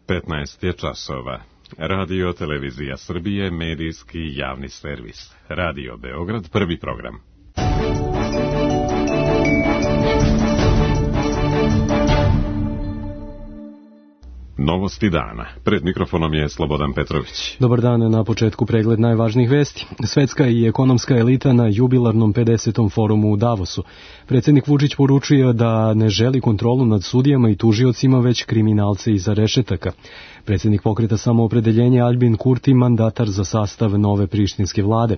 15 je časova. Radio Televizija Srbije, medijski javni servis. Radio Beograd, prvi program. Novosti dana. Pred mikrofonom je Slobodan Petrović. Dobar dan, na početku pregled najvažnijih vesti. Svetska i ekonomska elita na jubilarnom 50. forumu u Davosu. Predsjednik Vučić poručuje da ne želi kontrolu nad sudijama i tužiocima, već kriminalce iza rešetaka. Predsjednik Pokreta Samoopredeljenje Aljbin Kurti mandatar za sastav nove prištinske vlade.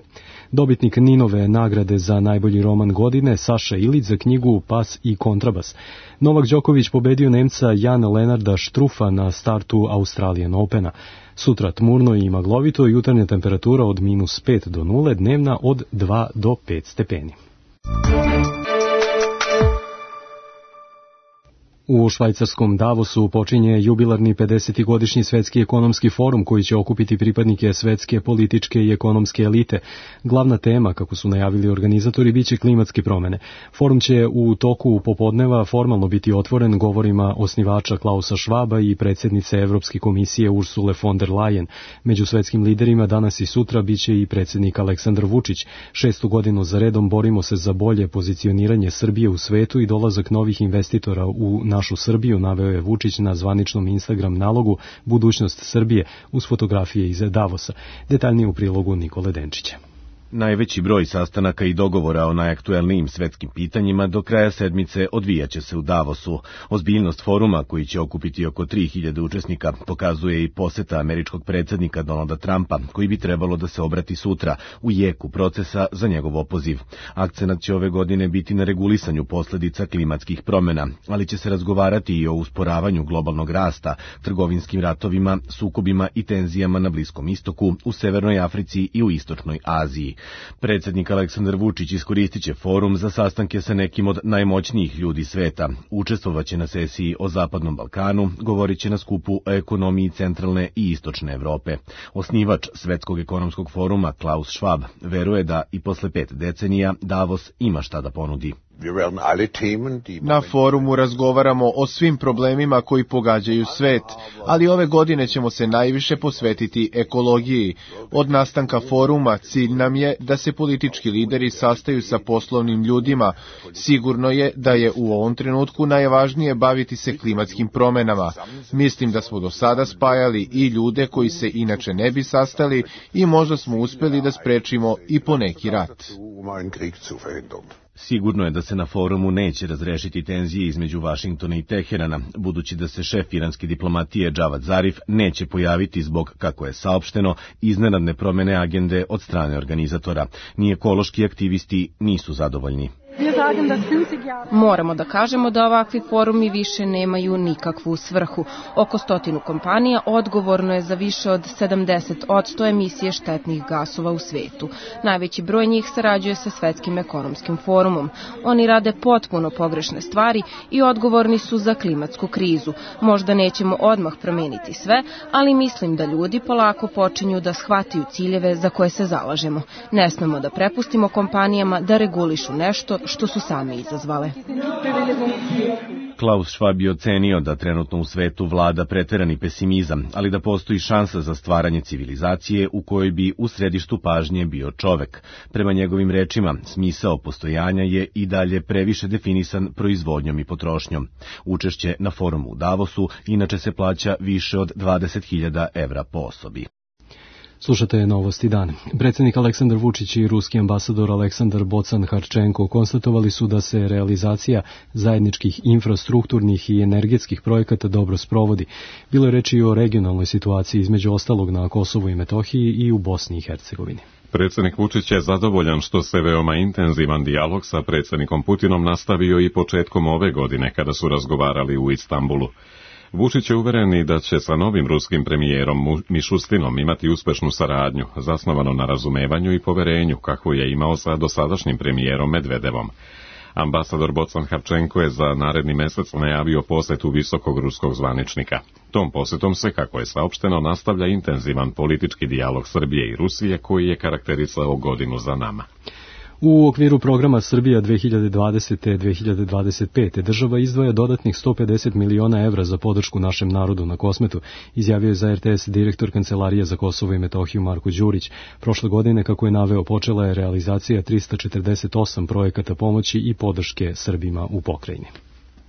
Dobitnik Ninove nagrade za najbolji roman godine Saša Ilić za knjigu Pas i kontrabas. Novak Đoković pobedio Nemca Jana Lenarda Štrufa na startu Australian Opena. Sutra tmurno i maglovito, jutarnja temperatura od -5 do 0, dnevna od 2 do 5 stepeni. U švajcarskom Davosu počinje jubilarni 50. godišnji svetski ekonomski forum koji će okupiti pripadnike svetske političke i ekonomske elite. Glavna tema, kako su najavili organizatori, biće klimatske promene. Forum će u toku popodneva formalno biti otvoren govorima osnivača Klausa Schwaba i predsjednice Evropske komisije Ursule von der Leyen. Među svetskim liderima danas i sutra biće i predsjednik Aleksandar Vučić. 6. godinu za redom borimo se za bolje pozicioniranje Srbije u svetu i dolazak novih investitora u našu Srbiju, naveo je Vučić na zvaničnom Instagram nalogu Budućnost Srbije uz fotografije iz Davosa. Detaljnije u prilogu Nikole Denčića. Najveći broj sastanaka i dogovora o najaktuelnijim svetskim pitanjima do kraja sedmice odvijaće se u Davosu. Ozbiljnost foruma, koji će okupiti oko 3000 učesnika, pokazuje i poseta američkog predsjednika Donalda Trumpa, koji bi trebalo da se obrati sutra u jeku procesa za njegov opoziv. Akcenat će ove godine biti na regulisanju posledica klimatskih promjena, ali će se razgovarati i o usporavanju globalnog rasta, trgovinskim ratovima, sukobima i tenzijama na Bliskom istoku, u Severnoj Africi i u Istočnoj Aziji. Predsjednik Aleksandar Vučić iskoristit će forum za sastanke sa nekim od najmoćnijih ljudi sveta. Učestvovaće na sesiji o Zapadnom Balkanu, govorit će na skupu o ekonomiji centralne i istočne Evrope. Osnivač Svetskog ekonomskog foruma Klaus Schwab veruje da i posle 5 decenija Davos ima šta da ponudi. Na forumu razgovaramo o svim problemima koji pogađaju svet, ali ove godine ćemo se najviše posvetiti ekologiji. Od nastanka foruma cilj nam je da se politički lideri sastaju sa poslovnim ljudima. Sigurno je da je u ovom trenutku najvažnije baviti se klimatskim promjenama. Mislim da smo do sada spajali i ljude koji se inače ne bi sastali i možda smo uspjeli da sprečimo i poneki rat. Sigurno je da se na forumu neće razrešiti tenzije između Vašingtona i Teherana, budući da se šef iranske diplomatije Džavad Zarif neće pojaviti zbog, kako je saopšteno, iznenadne promjene agende od strane organizatora. Ni ekološki aktivisti nisu zadovoljni. Moramo da kažemo da ovakvi forumi više nemaju nikakvu svrhu. Oko 100 kompanija odgovorno je za više od 70% emisije štetnih gasova u svetu. Najveći broj njih sarađuje sa Svetskim ekonomskim forumom. Oni rade potpuno pogrešne stvari i odgovorni su za klimatsku krizu. Možda nećemo odmah promeniti sve, ali mislim da ljudi polako počinju da shvataju ciljeve za koje se zalažemo. Ne smemo da prepustimo kompanijama da regulišu nešto što su sami izazvale. Klaus Schwab je ocenio da trenutno u svetu vlada preterani pesimizam, ali da postoji šansa za stvaranje civilizacije u kojoj bi u središtu pažnje bio čovek. Prema njegovim rečima, smisao postojanja je i dalje previše definisan proizvodnjom i potrošnjom. Učešće na forumu u Davosu inače se plaća više od 20.000 evra po osobi. Slušate Novosti dana. Predsjednik Aleksandar Vučić i ruski ambasador Aleksandar Bocan-Harčenko konstatovali su da se realizacija zajedničkih infrastrukturnih i energetskih projekata dobro sprovodi. Bilo je reči i o regionalnoj situaciji, između ostalog na Kosovu i Metohiji i u Bosni i Hercegovini. Predsjednik Vučić je zadovoljan što se veoma intenzivan dijalog sa predsjednikom Putinom nastavio i početkom ove godine kada su razgovarali u Istanbulu. Vučić je uveren da će sa novim ruskim premijerom Mišustinom imati uspešnu saradnju, zasnovano na razumevanju i poverenju, kakvu je imao sa dosadašnjim premijerom Medvedevom. Ambasador Bocan-Harčenko je za naredni mesec najavio posetu visokog ruskog zvaničnika. Tom posetom se, kako je saopšteno, nastavlja intenzivan politički dijalog Srbije i Rusije koji je karakterisao godinu za nama. U okviru programa Srbija 2020-2025 država izdvaja dodatnih 150 miliona evra za podršku našem narodu na Kosmetu, izjavio je za RTS direktor Kancelarije za Kosovo i Metohiju Marko Đurić. Prošle godine, kako je naveo, počela je realizacija 348 projekata pomoći i podrške Srbima u pokrajini.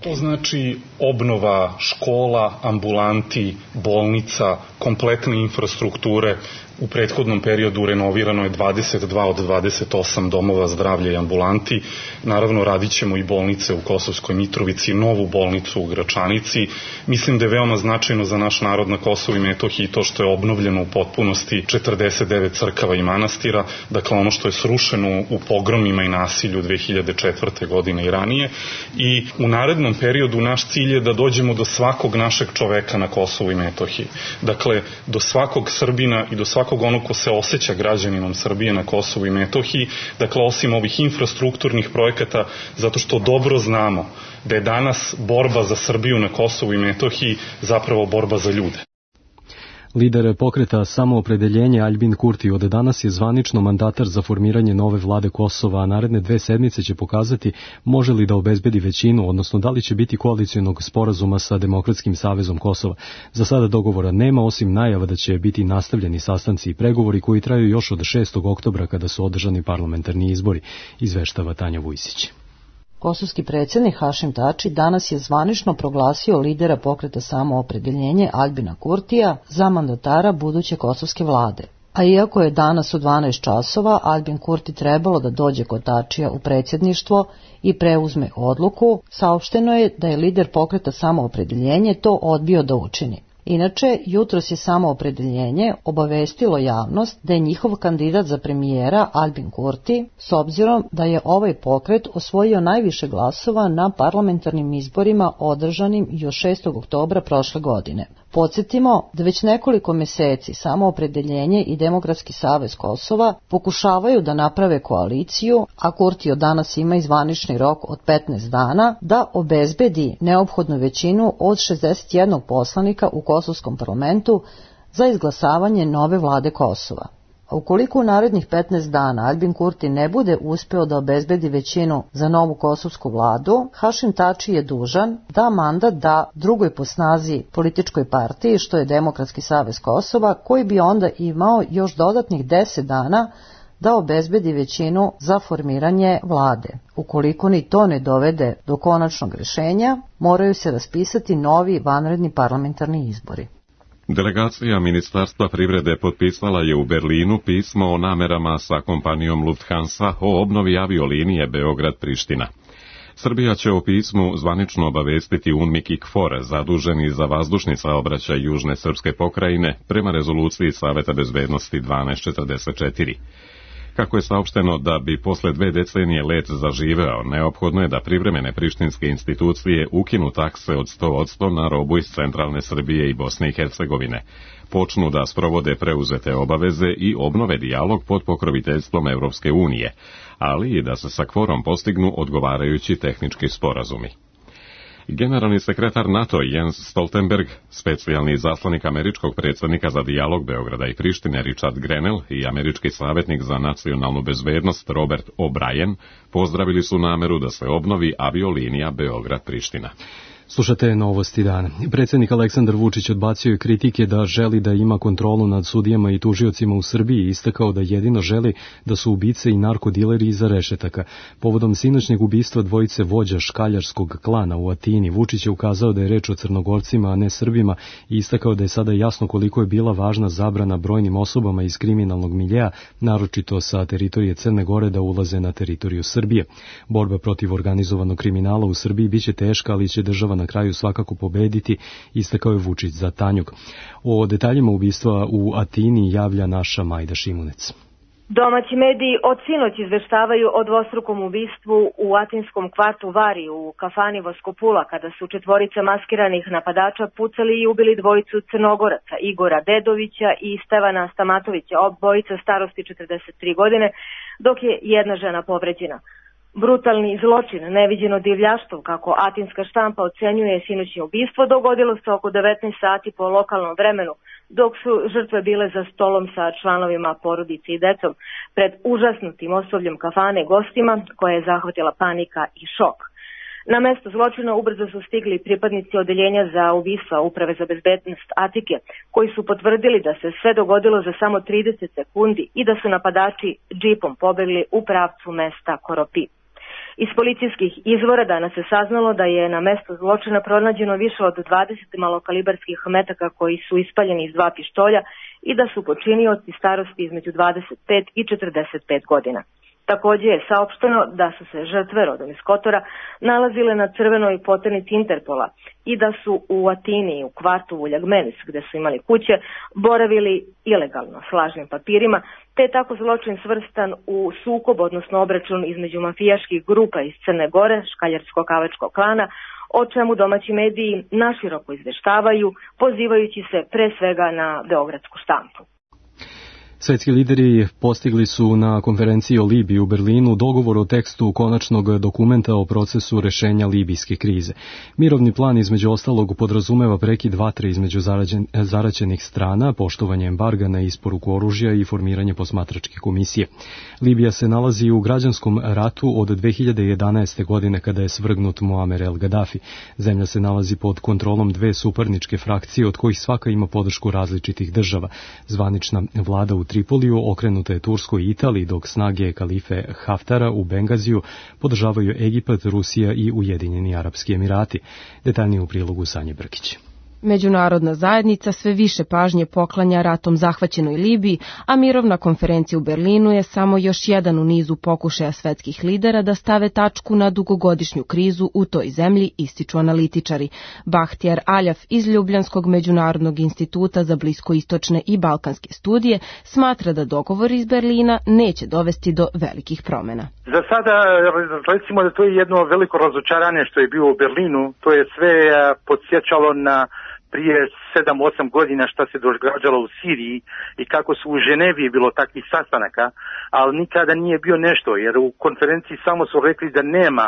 To znači obnova škola, ambulanti, bolnica, kompletne infrastrukture. U prethodnom periodu renovirano je 22 od 28 domova zdravlja i ambulanti. Naravno, radit ćemo i bolnice u Kosovskoj Mitrovici, novu bolnicu u Gračanici. Mislim da je veoma značajno za naš narod na Kosovu i Metohiji to što je obnovljeno u potpunosti 49 crkava i manastira, dakle ono što je srušeno u pogromima i nasilju 2004. godine i ranije. I u narednom periodu naš cilj je da dođemo do svakog našeg čoveka na Kosovu i Metohiji. Dakle, do svakog Srbina i do svakog onog ko se osjeća građaninom Srbije na Kosovu i Metohiji, dakle osim ovih infrastrukturnih projekata, zato što dobro znamo da je danas borba za Srbiju na Kosovu i Metohiji zapravo borba za ljude. Lider pokreta Samoopredeljenje Aljbin Kurti od danas je zvanično mandatar za formiranje nove vlade Kosova, a naredne 2 sedmice će pokazati može li da obezbedi većinu, odnosno da li će biti koalicionog sporazuma sa Demokratskim savezom Kosova. Za sada dogovora nema, osim najava da će biti nastavljeni sastanci i pregovori koji traju još od 6. oktobra kada su održani parlamentarni izbori, izveštava Tanja Vujsić. Kosovski predsjednik Hašim Tači danas je zvanično proglasio lidera pokreta Samoopredeljenje Aljbina Kurtija za mandatara buduće kosovske vlade. A iako je danas u 12 časova Aljbin Kurti trebalo da dođe kod Tačija u predsjedništvo i preuzme odluku, saopšteno je da je lider pokreta Samoopredeljenje to odbio da učini. Inače, jutros je Samoopredeljenje obavestilo javnost da je njihov kandidat za premijera Aljbin Kurti, s obzirom da je ovaj pokret osvojio najviše glasova na parlamentarnim izborima održanim još 6. oktobra prošle godine. Podsjetimo da već nekoliko meseci Samoopredeljenje i Demokratski savez Kosova pokušavaju da naprave koaliciju, a Kurti od danas ima i zvanični rok od 15 dana da obezbedi neophodnu većinu od 61 poslanika u Kosovskom parlamentu za izglasavanje nove vlade Kosova. A ukoliko u narednih 15 dana Aljbin Kurti ne bude uspeo da obezbedi većinu za novu kosovsku vladu, Hašim Tači je dužan da mandat da drugoj po snazi političkoj partiji, što je Demokratski savez Kosova, koji bi onda imao još dodatnih 10 dana da obezbedi većinu za formiranje vlade. Ukoliko ni to ne dovede do konačnog rješenja, moraju se raspisati novi vanredni parlamentarni izbori. Delegacija Ministarstva privrede potpisala je u Berlinu pismo o namerama sa kompanijom Lufthansa o obnovi aviolinije Beograd-Priština. Srbija će o pismu zvanično obavestiti UNMIK i KFOR, zaduženi za vazdušni saobraćaj Južne srpske pokrajine, prema rezoluciji Saveta bezbednosti 1244. Kako je saopšteno da bi posle 2 decenije let zaživeo, neophodno je da privremene prištinske institucije ukinu takse od 100% na robu iz centralne Srbije i Bosne i Hercegovine, počnu da sprovode preuzete obaveze i obnove dijalog pod pokroviteljstvom Evropske unije, ali i da se sa KFOR-om postignu odgovarajući tehnički sporazumi. Generalni sekretar NATO Jens Stoltenberg, specijalni izaslanik američkog predsjednika za dijalog Beograda i Prištine Richard Grenell i američki savjetnik za nacionalnu bezbednost Robert O'Brien pozdravili su nameru da se obnovi aviolinija Beograd-Priština. Slušate Novosti dana. Predsjednik Aleksandar Vučić odbacio je kritike da želi da ima kontrolu nad sudijama i tužiocima u Srbiji i istakao da jedino želi da su ubice i narkodileri iza rešetaka. Povodom sinoćnjeg ubistva dvojice vođa škaljarskog klana u Atini, Vučić je ukazao da je reč o Crnogorcima, a ne Srbima i istakao da je sada jasno koliko je bila važna zabrana brojnim osobama iz kriminalnog miljeja, naročito sa teritorije Crne Gore, da ulaze na teritoriju Srbije. Borba protiv organizovanog kriminala u Srbiji biće teška, ali će država na kraju svakako pobediti, istakao je Vučić za Tanjug. O detaljima ubistva u Atini javlja naša Majda Šimunec. Domaći mediji od sinoć izveštavaju o dvostrukom ubistvu u atinskom kvartu Vari u kafani Voskopula, kada su 4 maskiranih napadača pucali i ubili dvojicu Crnogoraca, Igora Dedovića i Stevana Stamatovića, obojica starosti 43 godine, dok je jedna žena povređena. Brutalni zločin, neviđeno divljaštvo, kako atinska štampa ocenjuje sinoćnje ubistvo, dogodilo se oko 19 sati po lokalnom vremenu dok su žrtve bile za stolom sa članovima porodice i decom pred užasnutim osobljem kafane gostima koje je zahvatila panika i šok. Na mesto zločina ubrzo su stigli pripadnici odeljenja za ubistva Uprave za bezbednost Atike, koji su potvrdili da se sve dogodilo za samo 30 sekundi i da su napadači džipom pobegli u pravcu mesta Koropi. Iz policijskih izvora danas se saznalo da je na mesto zločina pronađeno više od 20 malokalibarskih metaka koji su ispaljeni iz 2 pištolja i da su počinioci starosti između 25 i 45 godina. Takođe je saopšteno da su se žrtve rodom iz Kotora nalazile na crvenoj poternici Interpola i da su u Atini, u kvartu Vuljagmenis, gde su imali kuće, boravili ilegalno s lažnim papirima, te je tako zločin svrstan u sukob, odnosno obračun između mafijaških grupa iz Crne Gore, škaljarsko-kavačkog klana, o čemu domaći mediji naširoko izveštavaju, pozivajući se pre svega na beogradsku štampu. Svetski lideri postigli su na konferenciji o Libiji u Berlinu dogovor o tekstu konačnog dokumenta o procesu rešenja libijske krize. Mirovni plan između ostalog podrazumeva prekid vatre između zaraćenih strana, poštovanje embarga na isporuku oružja i formiranje posmatračke komisije. Libija se nalazi u građanskom ratu od 2011. godine kada je svrgnut Muamer el Gaddafi. Zemlja se nalazi pod kontrolom 2 suparničke frakcije od kojih svaka ima podršku različitih država. Zvanična vlada u Tripoliju okrenuta je Turskoj i Italiji, dok snage kalife Haftara u Bengaziju podržavaju Egipat, Rusija i Ujedinjeni Arapski Emirati. Detaljnije u prilogu Sanje Brkić. Međunarodna zajednica sve više pažnje poklanja ratom zahvaćenoj Libiji, a mirovna konferencija u Berlinu je samo još jedan u nizu pokušaja svetskih lidera da stave tačku na dugogodišnju krizu u toj zemlji, ističu analitičari. Bahtjar Aljaf iz Ljubljanskog međunarodnog instituta za bliskoistočne i balkanske studije smatra da dogovor iz Berlina neće dovesti do velikih promjena. Za sada recimo da to je jedno veliko razočaranje što je bilo u Berlinu, to je sve podsjećalo na prije 7-8 godina šta se događalo u Siriji i kako su u Ženevi bilo takvih sastanaka, ali nikada nije bio nešto, jer u konferenciji samo su rekli da nema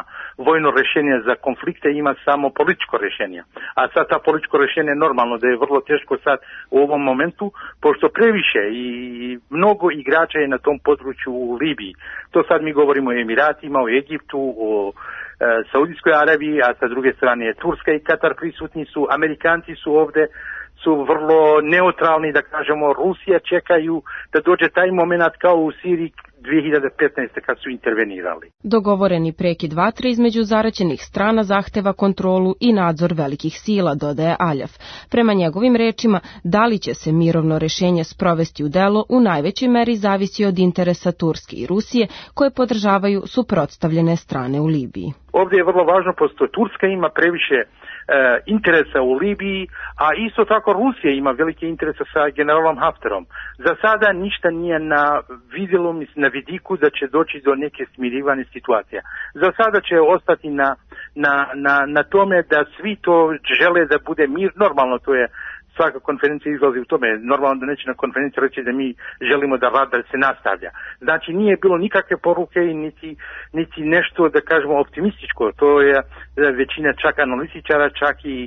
vojno rješenje za konflikte, ima samo političko rješenje. A sad ta političko rješenje je normalno da je vrlo teško sad u ovom momentu, pošto previše i mnogo igrača je na tom području u Libiji. To sad mi govorimo o Emiratima, o Egiptu, o Saudijskoj Arabiji, a sa druge strane je Turska i Katar prisutni su, Amerikanci su ovdje, su vrlo neutralni, da kažemo, Rusija čekaju da dođe taj moment kao u Siriji 2015. kad su intervenirali. Dogovoreni prekid vatre između zaraćenih strana zahteva kontrolu i nadzor velikih sila, dodaje Aljaf. Prema njegovim rečima, da li će se mirovno rešenje sprovesti u delo u najvećoj meri zavisi od interesa Turske i Rusije, koje podržavaju suprotstavljene strane u Libiji. Ovdje je vrlo važno, pošto Turska ima previše interesa u Libiji, a isto tako Rusija ima velike interese sa generalom Haftarom. Za sada ništa nije na vidjelu, na vidiku da će doći do neke smirivane situacije. Za sada će ostati na tome da svi to žele da bude mir. Normalno, to je svaka konferencija izlazi u tome. Normalno da neće na konferenciji reći da mi želimo da rad se nastavlja. Znači nije bilo nikakve poruke i niti nešto, da kažemo, optimističko. To je većina čak analitičara, čak i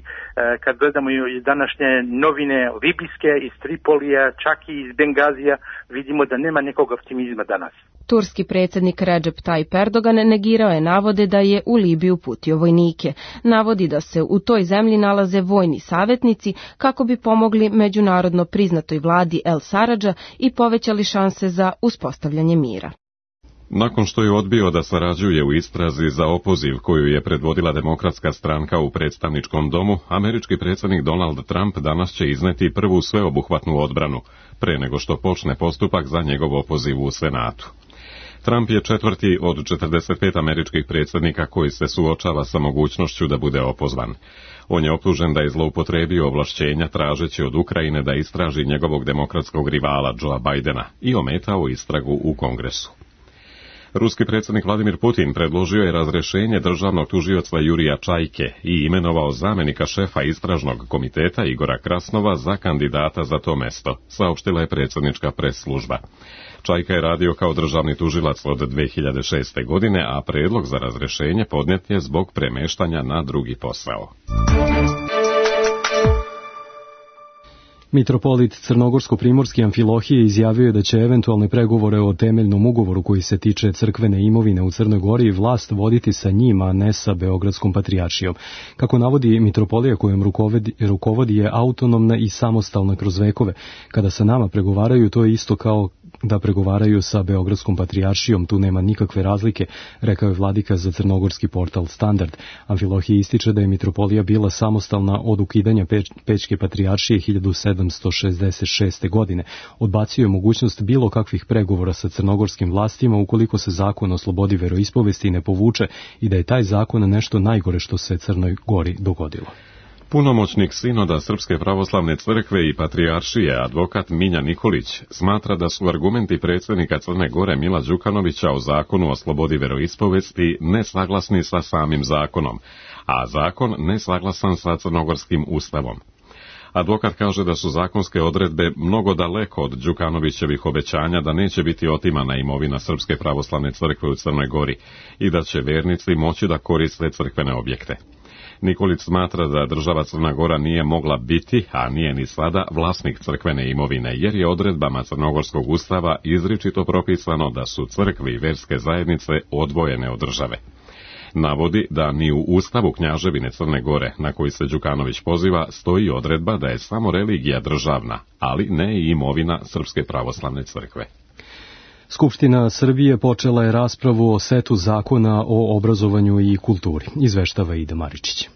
kad gledamo i današnje novine libijske iz Tripolija, čak i iz Bengazija, vidimo da nema nekog optimizma danas. Turski predsjednik Recep Tayyip Erdogan negirao je navode da je u Libiju uputio vojnike. Navodi da se u toj zemlji nalaze vojni savjetnici kako bi pomogli međunarodno priznatoj vladi El Saradža i povećali šanse za uspostavljanje mira. Nakon što je odbio da sarađuje u istrazi za opoziv koju je predvodila Demokratska stranka u predstavničkom domu, američki predsjednik Donald Trump danas će izneti prvu sveobuhvatnu odbranu, pre nego što počne postupak za njegov opoziv u Senatu. Trump je četvrti od 45 američkih predsjednika koji se suočava sa mogućnošću da bude opozvan. On je optužen da je zloupotrebio ovlašćenja tražeći od Ukrajine da istraži njegovog demokratskog rivala Joea Bidena i ometao istragu u Kongresu. Ruski predsjednik Vladimir Putin predložio je razrešenje državnog tužioca Jurija Čajke i imenovao zamjenika šefa istražnog komiteta Igora Krasnova za kandidata za to mesto, saopštila je predsjednička pres služba. Čajka je radio kao državni tužilac od 2006. godine, a predlog za razrešenje podnijet je zbog premeštanja na drugi posao. Mitropolit Crnogorsko-primorski Amfilohije izjavio je da će eventualne pregovore o temeljnom ugovoru koji se tiče crkvene imovine u Crnoj Gori vlast voditi sa njim, a ne sa Beogradskom patrijaršijom. Kako navodi, mitropolija kojom rukovodi je autonomna i samostalna kroz vekove. Kada sa nama pregovaraju, to je isto kao da pregovaraju sa Beogradskom patrijaršijom, tu nema nikakve razlike, rekao je vladika za crnogorski portal Standard. Amfilohije ističe da je mitropolija bila samostalna od ukidanja Pećke patrijaršije 1766. godine. Odbacio je mogućnost bilo kakvih pregovora sa crnogorskim vlastima ukoliko se zakon o slobodi veroispovesti ne povuče i da je taj zakon nešto najgore što se Crnoj Gori dogodilo. Punomoćnik sinoda Srpske pravoslavne crkve i patrijaršije, advokat Milja Nikolić, smatra da su argumenti predsjednika Crne Gore Mila Đukanovića o zakonu o slobodi veroispovesti nesaglasni sa samim zakonom, a zakon nesaglasan sa crnogorskim ustavom. Advokat kaže da su zakonske odredbe mnogo daleko od Đukanovićevih obećanja da neće biti otimana imovina Srpske pravoslavne crkve u Crnoj Gori i da će vernici moći da koriste crkvene objekte. Nikolić smatra da država Crna Gora nije mogla biti, a nije ni sada, vlasnik crkvene imovine, jer je odredbama Crnogorskog ustava izričito propisano da su crkve i verske zajednice odvojene od države. Navodi da ni u ustavu Knjaževine Crne Gore, na koji se Đukanović poziva, stoji odredba da je samo religija državna, ali ne i imovina Srpske pravoslavne crkve. Skupština Srbije počela je raspravu o setu zakona o obrazovanju i kulturi, izveštava Ida Maričić.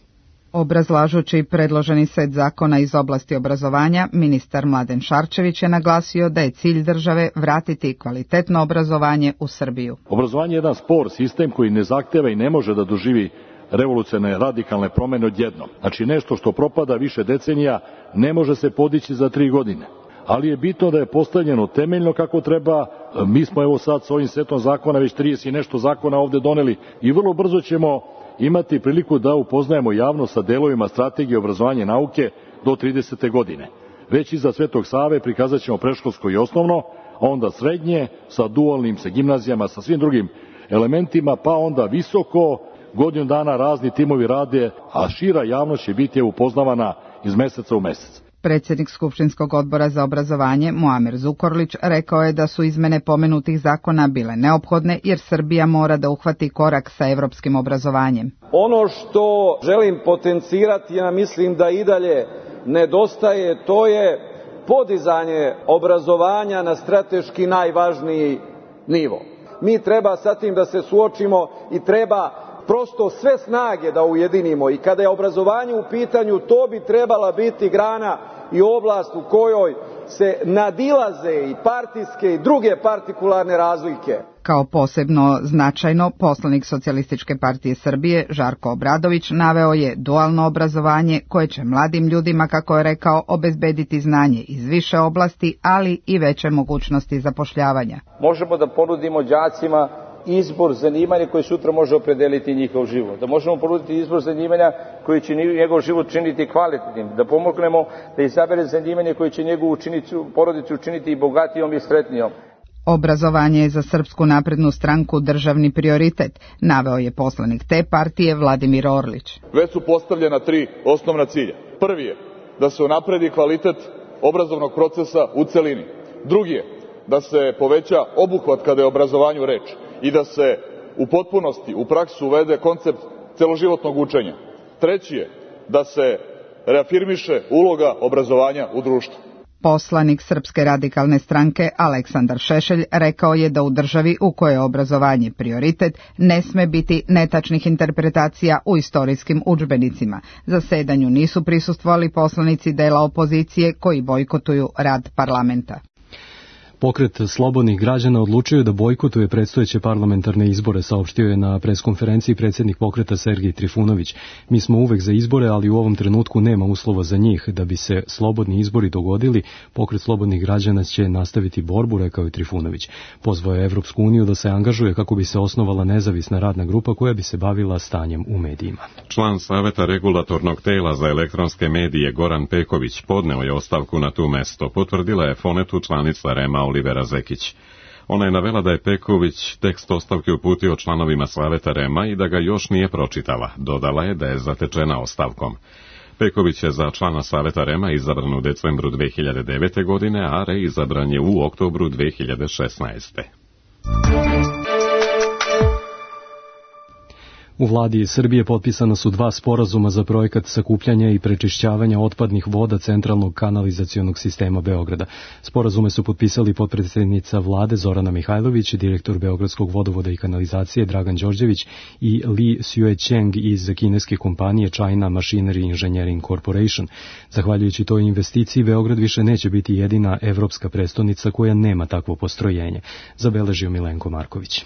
Obrazlažući predloženi set zakona iz oblasti obrazovanja, ministar Mladen Šarčević je naglasio da je cilj države vratiti kvalitetno obrazovanje u Srbiju. Obrazovanje je jedan spor sistem koji ne zahteva i ne može da doživi revolucionarne radikalne promene odjednom. Znači nešto što propada više decenija ne može se podići za 3 godine. Ali je bitno da je postavljeno temeljno kako treba. Mi smo evo sad s ovim setom zakona već 30 i nešto zakona ovde doneli i vrlo brzo ćemo imati priliku da upoznajemo javnost sa delovima strategije obrazovanja i nauke do 30. godine. Već iza Svetog Save prikazat ćemo predškolsko i osnovno, a onda srednje sa dualnim, sa gimnazijama, sa svim drugim elementima, pa onda visoko, godinu dana razni timovi rade, a šira javnost će biti upoznavana iz meseca u mesec. Predsjednik Skupštinskog odbora za obrazovanje Muamer Zukorlić rekao je da su izmene pomenutih zakona bile neophodne jer Srbija mora da uhvati korak sa evropskim obrazovanjem. Ono što želim potencirati, ja mislim da i dalje nedostaje, to je podizanje obrazovanja na strateški najvažniji nivo. Mi treba sa tim da se suočimo i treba prosto sve snage da ujedinimo i kada je obrazovanje u pitanju, to bi trebala biti grana i oblast u kojoj se nadilaze i partijske i druge partikularne razlike. Kao posebno značajno, poslanik Socijalističke partije Srbije Žarko Obradović naveo je dualno obrazovanje koje će mladim ljudima, kako je rekao, obezbediti znanje iz više oblasti, ali i veće mogućnosti zapošljavanja. Možemo da ponudimo đacima izbor zanimanja koji sutra može opredeliti njihov život. Da možemo ponuditi izbor zanimanja koji će njegov život činiti kvalitetnim. Da pomognemo da izabere zanimanje koje će njegovu porodicu učiniti i bogatijom i sretnijom. Obrazovanje je za Srpsku naprednu stranku državni prioritet, naveo je poslanik te partije Vladimir Orlić. Već su postavljena 3 osnovna cilja. Prvi je da se unapredi kvalitet obrazovnog procesa u celini. Drugi je da se poveća obuhvat kada je o obrazovanju reč i da se u potpunosti u praksu uvede koncept celoživotnog učenja. Treći je da se reafirmiše uloga obrazovanja u društvu. Poslanik Srpske radikalne stranke Aleksandar Šešelj rekao je da u državi u kojoj je obrazovanje prioritet ne sme biti netačnih interpretacija u istorijskim udžbenicima. Zasedanju nisu prisustvovali poslanici dela opozicije koji bojkotuju rad parlamenta. Pokret slobodnih građana odlučio da bojkotuje predstojeće parlamentarne izbore, saopštio je na preskonferenciji predsjednik pokreta Sergej Trifunović. Mi smo uvek za izbore, ali u ovom trenutku nema uslova za njih. Da bi se slobodni izbori dogodili, pokret slobodnih građana će nastaviti borbu, rekao je Trifunović. Pozvao je Evropsku uniju da se angažuje kako bi se osnovala nezavisna radna grupa koja bi se bavila stanjem u medijima. Član Saveta regulatornog tela za elektronske medije Goran Peković podneo je ostavku na tu mesto, potvrdila je Fonetu članica REM-a Olivera Zekić. Ona je navela da je Peković tekst ostavke uputio članovima Saveta REM-a i da ga još nije pročitala. Dodala je da je zatečena ostavkom. Peković je za člana Saveta REM-a izabran u decembru 2009. godine, a reizabran je u oktobru 2016. U vladi Srbije potpisana su 2 sporazuma za projekat sakupljanja i prečišćavanja otpadnih voda centralnog kanalizacionog sistema Beograda. Sporazume su potpisali potpredsednica vlade Zorana Mihajlović, direktor Beogradskog vodovoda i kanalizacije Dragan Đorđević i Li Xuecheng iz kineske kompanije China Machinery Engineering Corporation. Zahvaljujući toj investiciji, Beograd više neće biti jedina evropska prestonica koja nema takvo postrojenje, zabeležio Milenko Marković.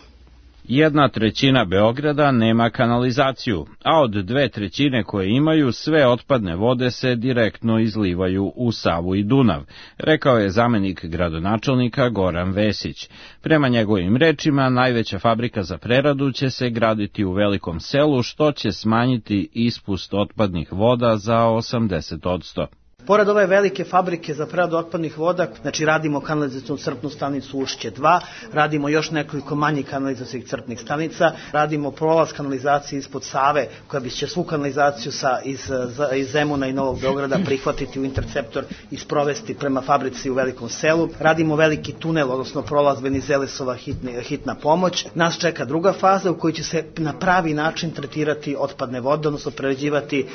1/3 Beograda nema kanalizaciju, a od 2/3 koje imaju, sve otpadne vode se direktno izlivaju u Savu i Dunav, rekao je zamenik gradonačelnika Goran Vesić. Prema njegovim rečima, najveća fabrika za preradu će se graditi u Velikom Selu, što će smanjiti ispust otpadnih voda za 80%. Pored ove velike fabrike za preradu otpadnih voda, znači radimo kanalizacijnu crpnu stanicu Ušće 2, radimo još nekoliko manjih kanalizacijnih crpnih stanica, radimo prolaz kanalizacije ispod Save, koja će svu kanalizaciju iz Zemuna i Novog Beograda prihvatiti u interceptor i sprovesti prema fabrici u Velikom Selu. Radimo veliki tunel, odnosno prolaz Venizelesova hitna pomoć. Nas čeka druga faza u kojoj će se na pravi način tretirati otpadne vode, odnosno prerađivati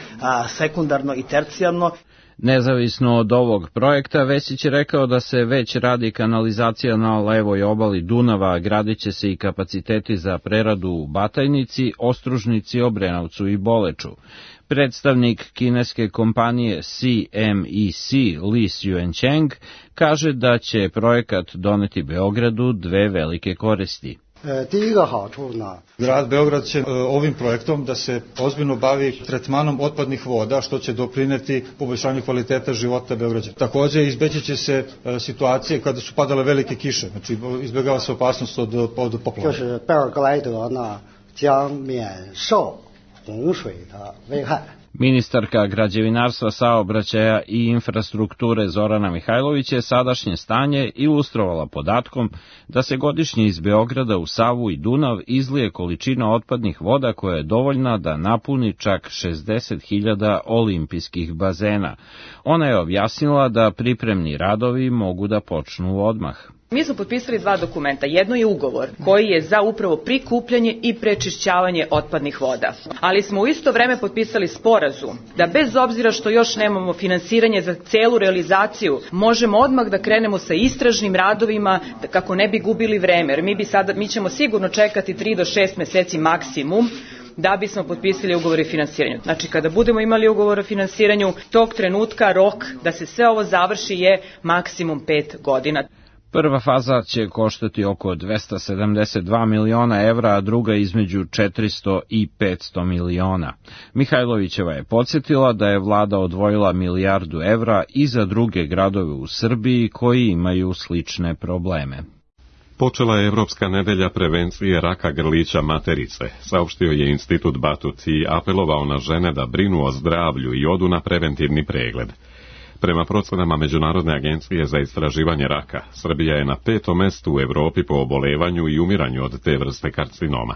sekundarno i tercijarno. Nezavisno od ovog projekta, Vesić je rekao da se već radi kanalizacija na levoj obali Dunava, gradit će se i kapaciteti za preradu u Batajnici, Ostružnici, Obrenovcu i Boleču. Predstavnik kineske kompanije CMEC Li Xuecheng kaže da će projekat doneti Beogradu 2 velike koristi. Grad Beograd će ovim projektom da se ozbiljno bavi tretmanom otpadnih voda, što će doprineti poboljšanju kvaliteta života Beograđana. Takođe, izbeći će se situacije kada su padale velike kiše, znači izbjegava se opasnost od poplava. Ministarka građevinarstva, saobraćaja i infrastrukture Zorana Mihajlović je sadašnje stanje ilustrovala podatkom da se godišnje iz Beograda u Savu i Dunav izlije količina otpadnih voda koja je dovoljna da napuni čak 60.000 olimpijskih bazena. Ona je objasnila da pripremni radovi mogu da počnu odmah. Mi smo potpisali 2 dokumenta. Jedno je ugovor koji je za upravo prikupljanje i prečišćavanje otpadnih voda. Ali smo u isto vreme potpisali sporazum da bez obzira što još nemamo finansiranje za celu realizaciju, možemo odmah da krenemo sa istražnim radovima kako ne bi gubili vreme. Jer mi ćemo sigurno čekati 3 do 6 meseci maksimum da bismo potpisali ugovor o finansiranju. Znači, kada budemo imali ugovor o finansiranju, tog trenutka rok da se sve ovo završi je maksimum 5 godina. Prva faza će koštati oko 272 miliona evra, a druga između 400 i 500 miliona. Mihajlovićeva je podsjetila da je vlada odvojila 1 milijardu evra i za druge gradove u Srbiji koji imaju slične probleme. Počela je Evropska nedelja prevencije raka grlića materice, saopštio je Institut Batut i apelovao na žene da brinu o zdravlju i odu na preventivni pregled. Prema procenama Međunarodne agencije za istraživanje raka, Srbija je na 5. mestu u Evropi po obolevanju i umiranju od te vrste karcinoma.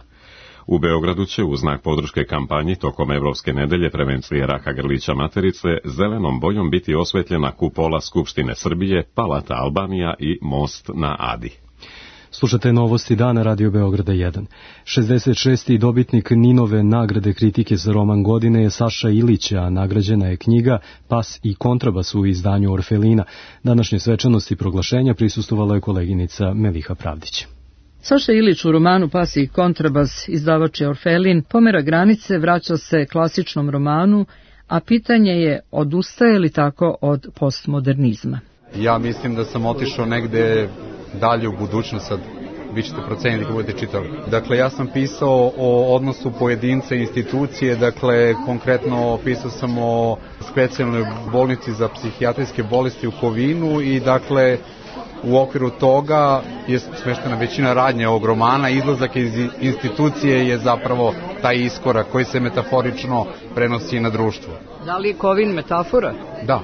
U Beogradu će u znak podrške kampanji tokom Evropske nedelje prevencije raka grlića materice zelenom bojom biti osvetljena kupola Skupštine Srbije, Palata Albanija i Most na Adi. Slušate novosti dana Radio Beograda 1. 66. dobitnik Ninove nagrade kritike za roman godine je Saša Ilić, a nagrađena je knjiga Pas i kontrabas u izdanju Orfelina. Današnje svečanosti proglašenja prisustvovala je koleginica Meliha Pravdić. Saša Ilić u romanu Pas i kontrabas, izdavač je Orfelin, pomera granice, vraća se klasičnom romanu, a pitanje je odustaje li tako od postmodernizma. Ja mislim da sam otišao negde dalje u budućnost, sad vi ćete proceniti kako budete čitali. Dakle, ja sam pisao o odnosu pojedinca i institucije, dakle, konkretno pisao sam o specijalnoj bolnici za psihijatrijske bolesti u Kovinu i, dakle, u okviru toga je smeštena većina radnje ovog romana. Izlazak iz institucije je zapravo taj iskorak koji se metaforično prenosi na društvo. Da li je Kovin metafora? Da.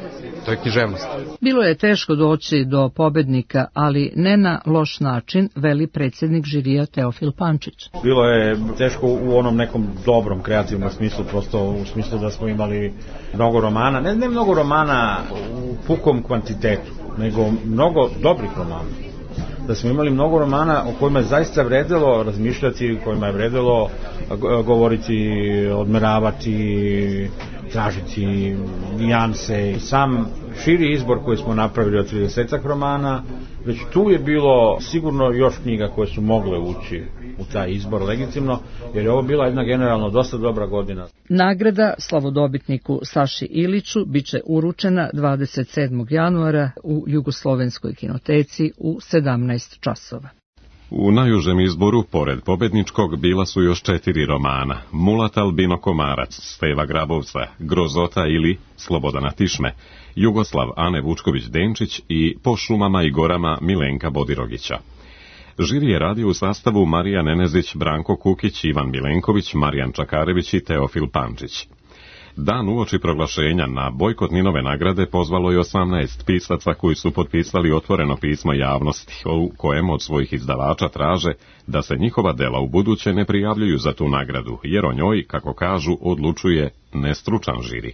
to je književnost. Bilo je teško doći do pobednika, ali ne na loš način, veli predsjednik žirija Teofil Pančić. Bilo je teško u onom nekom dobrom kreativnom smislu, prosto u smislu da smo imali mnogo romana, ne mnogo romana u pukom kvantitetu, nego mnogo dobrih romana. Da smo imali mnogo romana o kojima je zaista vredelo razmišljati, kojima je vredelo govoriti, odmeravati, tražiti nijanse. Sam širi izbor koji smo napravili od 30 romana, već tu je bilo sigurno još knjiga koje su mogle ući u taj izbor legitimno, jer je ovo bila jedna generalno dosta dobra godina. Nagrada slavodobitniku Saši Iliću biće uručena 27. januara u Jugoslovenskoj kinoteci u 17 časova. U najužem izboru, pored pobedničkog, bila su još 4 romana: Mulat Albino Komarac, Steva Grabovca, Grozota ili Slobodana Tišme, Jugoslav Ane Vučković-Denčić i Po šumama i gorama Milenka Bodirogića. Žiri je radio u sastavu Marija Nenezić, Branko Kukić, Ivan Milenković, Marijan Čakarević i Teofil Pančić. Dan uoči proglašenja na bojkot Ninove nagrade pozvalo je 18 pisaca koji su potpisali otvoreno pismo javnosti, u kojem od svojih izdavača traže da se njihova dela u buduće ne prijavljuju za tu nagradu, jer o njoj, kako kažu, odlučuje nestručan žiri.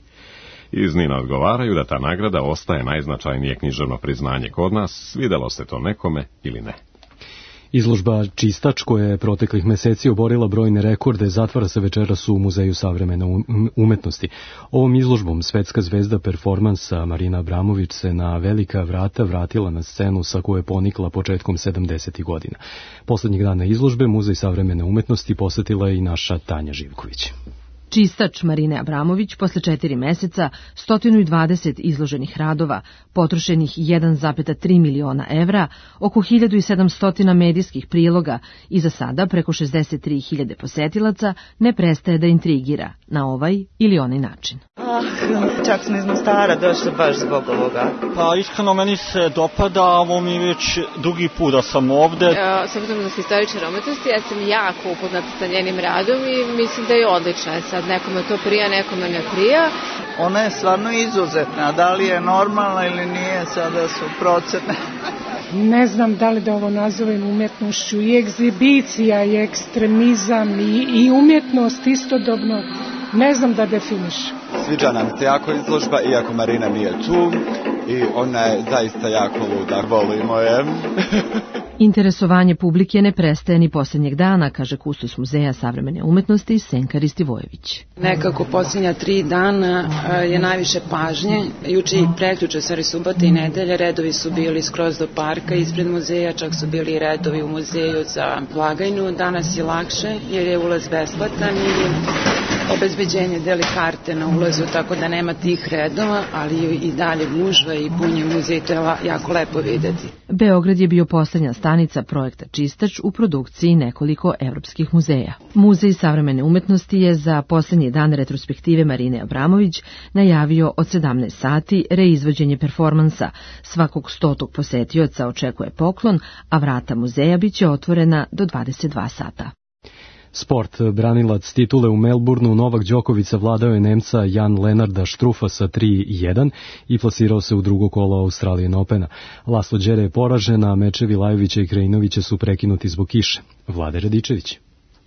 Iz Nina odgovaraju da ta nagrada ostaje najznačajnije književno priznanje kod nas, svidelo se to nekome ili ne. Izložba Čistač, koja je proteklih meseci oborila brojne rekorde, zatvara se večeras u Muzeju savremene umetnosti. Ovom izložbom svetska zvezda performansa Marina Abramović se na velika vrata vratila na scenu sa koje je ponikla početkom 70. godina. Poslednjih dana izložbe Muzej savremene umetnosti posetila je i naša Tanja Živković. Čistač Marine Abramović posle 4 meseca, 120 izloženih radova, potrošenih 1,3 miliona evra, oko 1700 medijskih priloga i za sada preko 63.000 posetilaca ne prestaje da intrigira na ovaj ili onaj način. Čak smo iz Mostara došli baš zbog ovoga. Pa iskreno meni se dopada, ovo mi već drugi put da sam ovde. S obzirom na istorične umetnosti, ja sam jako upoznata sa njenim radom i mislim da je odlična. Sad nekome to prija, nekome ne prija. Ona je stvarno izuzetna, da li je normalna ili nije, sada su procene. Ne znam da li da ovo nazovem umetnošću, i egzibicija, i ekstremizam, i umjetnost istodobno, ne znam da definišem. Sviđa nam se jako izložba, iako Marina nije tu, i ona je zaista jako luda, volimo je. Interesovanje publike ne prestaje ni posljednjeg dana, kaže kustos Muzeja savremene umetnosti Senka Ristivojević. Nekako posljednja 3 dana je najviše pažnje. Juče i prekjuče, subota i nedelje, redovi su bili skroz do parka ispred muzeja, čak su bili redovi u muzeju za blagajnu. Danas je lakše jer je ulaz besplatan i obezbeđenje deli karte na ulazu, tako da nema tih redova, ali i dalje gužva i punje muzej, to je jako lepo videti. Beograd je bio poslednja stanica projekta Čistač u produkciji nekoliko evropskih muzeja. Muzej savremene umetnosti je za poslednji dan retrospektive Marine Abramović najavio od 17 sati reizvođenje performansa. Svakog 100. posetioca očekuje poklon, a vrata muzeja biće otvorena do 22 sata. Sport. Branilac titule u Melbourneu Novak Đoković savladao je Nemca Jan Lenarda Štrufa sa 3-1 i plasirao se u drugo kolo Australian Opena. Laslo Đere je poražen, a mečevi Lajovića i Krajinovića su prekinuti zbog kiše. Vlade Radičević.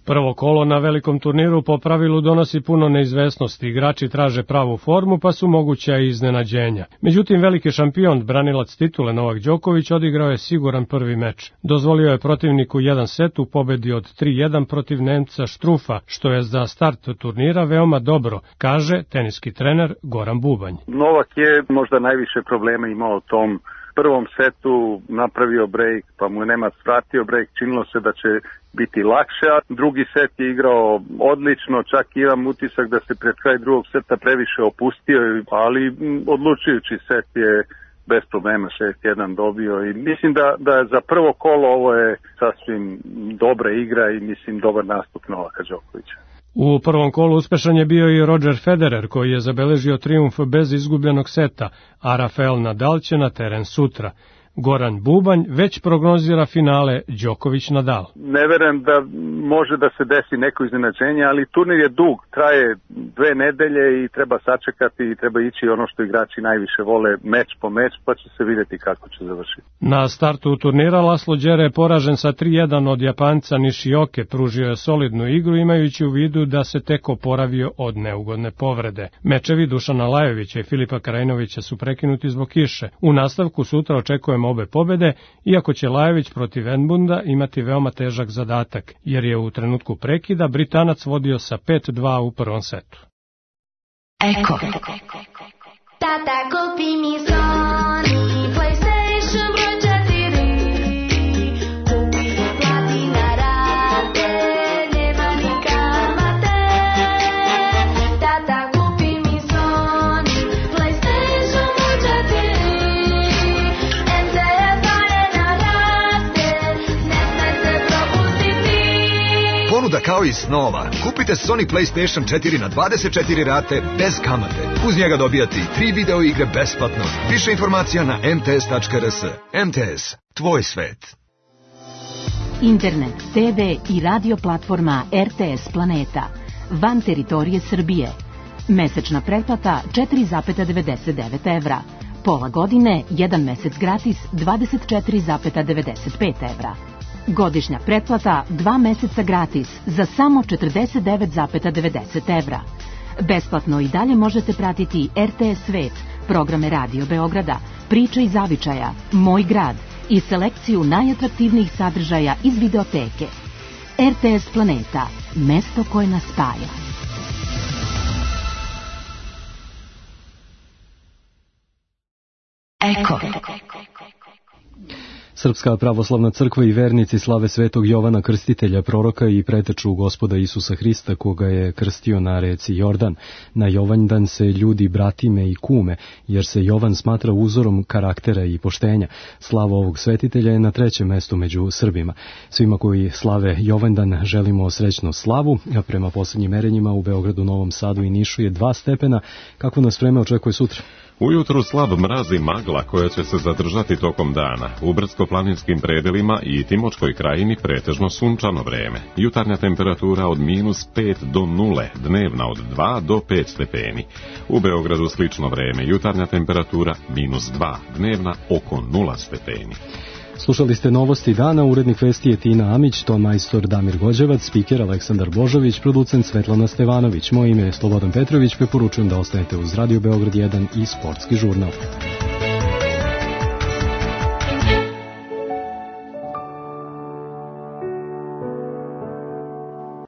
Prvo kolo na velikom turniru po pravilu donosi puno neizvesnosti. Igrači traže pravu formu, pa su moguća i iznenađenja. Međutim, veliki šampion, branilac titule Novak Đoković, odigrao je siguran prvi meč. Dozvolio je protivniku jedan set u pobedi od 3-1 protiv Nemca Štrufa, što je za start turnira veoma dobro, kaže teniski trener Goran Bubanj. Novak je možda najviše problema imao u tom prvom setu, napravio break, pa mu nema svratio break, činilo se da će biti lakše, a drugi set je igrao odlično, čak imam utisak da se pred kraj drugog seta previše opustio, ali odlučujući set je bez problema 6-1 dobio i mislim da je za prvo kolo ovo je sasvim dobra igra i mislim dobar nastup Novaka Đokovića. U prvom kolu uspešan je bio i Roger Federer, koji je zabeležio trijumf bez izgubljenog seta, a Rafael Nadal će na teren sutra. Goran Bubanj već prognozira finale Đoković-Nadal. Ne verujem da može da se desi neko iznenađenje, ali turnir je dug, traje 2 nedelje i treba sačekati i treba ići ono što igrači najviše vole, meč po meč, pa će se vidjeti kako će završiti. Na startu turnira Laslo Đere je poražen sa 3-1 od Japanca Nishioke, pružio je solidnu igru imajući u vidu da se tek oporavio od neugodne povrede. Mečevi Dušana Lajovića i Filipa Krajinovića su prekinuti zbog kiše. U nastavku sutra očekujemo obe pobede, iako će Lajović protiv Edmunda imati veoma težak zadatak, jer je u trenutku prekida Britanac vodio sa 5-2 u prvom setu. Eko. Tata, kupi mi Sony PlayStation broj 4. Kupi i plati na rate, nema ni kamate. Tata, kupi mi Sony PlayStation broj 4. MTS Arena raste, ne smej se propustiti. Ponuda kao i snova. Kupite Sony PlayStation 4 na 24 rate bez kamate. Uz njega dobijate i 3 video igre besplatno. Više informacija na mts.rs. MTS, tvoj svet. Internet, TV i radio platforma RTS Planeta. Van teritorije Srbije. Mesečna pretplata 4,99 evra. Pola godine, 1 mesec gratis 24,95 evra. Godišnja pretplata 2 meseca gratis za samo 49,90 evra. Besplatno i dalje možete pratiti RTS Svet, programe Radio Beograda, Priče iz zavičaja, Moj grad i selekciju najatraktivnijih sadržaja iz videoteke. RTS Planeta, mesto koje nas spaja. Eko. Srpska pravoslavna crkva i vernici slave Svetog Jovana Krstitelja, proroka i preteču Gospoda Isusa Hrista, koga je krstio na reci Jordan. Na Jovanjdan se ljudi bratime i kume, jer se Jovan smatra uzorom karaktera i poštenja. Slava ovog svetitelja je na 3. mestu među Srbima. Svima koji slave Jovanjdan želimo srećnu slavu, a prema posljednjim merenjima u Beogradu, Novom Sadu i Nišu je 2 stepena. Kako nas vreme očekuje sutra? Ujutru slab mraz i magla koja će se zadržati tokom dana. U brdsko-planinskim predelima i Timočkoj krajini pretežno sunčano vreme. Jutarnja temperatura od -5 do 0, dnevna od 2 do 5 stepeni. U Beogradu slično vreme, jutarnja temperatura -2, dnevna oko 0 stepeni. Slušali ste novosti dana, urednik vesti je Tina Amić, ton majstor Damir Gođevac, spiker Aleksandar Božović, producent Svetlana Stevanović. Moje ime je Slobodan Petrović, preporučujem da ostanete uz Radio Beograd 1 i Sportski žurnal.